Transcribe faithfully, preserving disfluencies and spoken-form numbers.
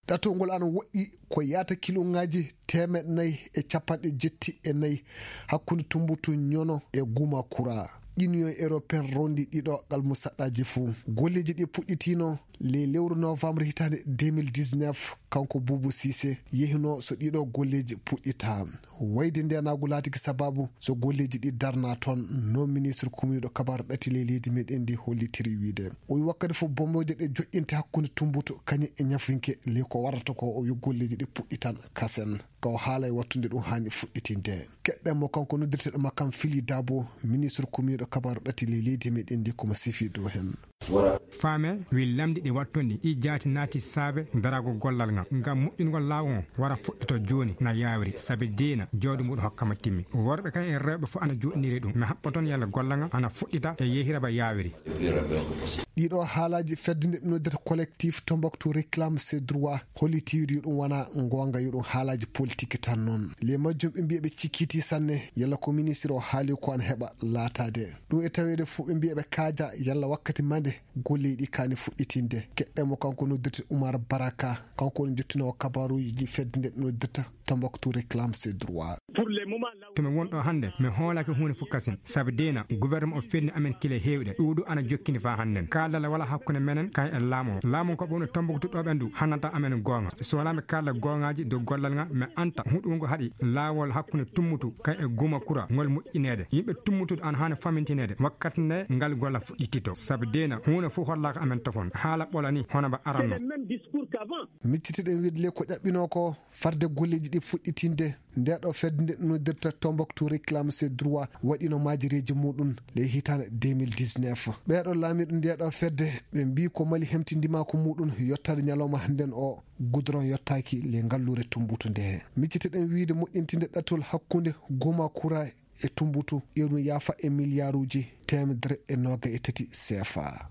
Ɗatol ngol ana woɗɗi ko yaata kiloŋaaji teemeɗɗe nayi e capanɗe jetti e nayi hakkunde Tumbutu Ñono e Gumakura. Union européenne rondi ɗiɗo almusaɗɗaaji fuu. Golleeji ɗi puɗɗitiino ley lewru novembre hitaande deux mille dix-neuf, kanko Buubu Siise yehinoo so ɗiɗo golleeji puɗɗitaa. Wayde ndeenaagu laatiki sabaabu so golleeji ɗi darnaa toon, no ministre kumiiɗo kabaaru ɗati ley leydi meɗen ndi hollitiri wiide. O wi wakkati fof bombooje ɗe joƴƴinte hakkunde Tumbutu kañum e ñafinke ley ko warata ko, o wi golleeji ɗi puɗɗitan kasen. Ka o haala e wattude ɗum haani fuɗɗitinde. Keɗɗen mo kanko noddirteɗo makkan Fili Dabo, ministre kumiiɗo kabaaru ɗati ley leydi meɗen ndi, ko mo sifi dow hen. Faame wi lamɗi ɗi wattonɗi ɗi jaati naati saabe daraago gollal ngal ngam moƴƴingol laawol ngol wara fuɗɗito jooni na yaawiri, sabi diina jawdi muɗum hokkama timmi. Worɓe kay e rewɓe fof ana joɗiniri ɗum. Mi haɓɓa toon yalla gollal ngal ana fuɗɗita e yehira ba yaawiri. Ɗiɗo haalaaji fedde nde ɓe noddirta collectif Tombouctou réclame ses droits, holliti yo ɗum wona ngoonga, yo ɗum haalaaji politique tan noon. Ley majjum ɓe mbiya ɓe cikkiti sanne yalla ko ministre o haali ko ana heɓa laataade. Ɗum e taweede fof ɓe mbiya ɓe kaaja yalla wakkati mande golleeji ɗi kaani fuɗɗitinde. Keɗɗen mo kanko noddirte Oumar Baraka, kanko woni jottinoowo kabaaruuji fedde nde ɓe noddirta Tombouctou réclame ses droits. To mi won ɗo hannde, mi hoolaaki huunde fof kasin, sabi diina gouvernement o fenni amen kile heewɗe, ɗuuɗu ana jokkini faa hannden. Kaaldal wala hakkunde menen kay e laamu o. Laamu ko ɓe woni Tombouctou ɗo ɓen du hannanta amen goonga. So wonaa mi kaalda goongaaji dow gollal ngal, mi anta huɗungo haɗi laawol hakkunde Tummutu kay e Gumakura ngol moƴƴineede. Yimɓe Tummutu ana haani famintineede wakkati nde ngal gollal fuɗɗitito, sabi diina huunde fof hollaaka amen tofon. Haala ɓola ni hono mba aranno. Miccitiɗen wiide le ko ƴaɓɓinoo ko farde golleeji ɗi fuɗɗitinde nde ɗo fedde nde noddirta Tombouctou réclame ses droits waɗino maajireeji muɗum ley hitaande deux mille dix-neuf. Ɓeeɗo laamiiɗo nde ɗo fedde ɓe mbii ko Mali hemtindimaako muɗum yottaade ñalawma hannden o, goudron yottaaki ley ngalluure Tumbutu nde. Miccitiɗen wiide moƴƴintinde ɗattol hakkunde Gumakura e Tumbutu, irum yaafa e miliyaaruuji teemedere e nooga e tati C F A.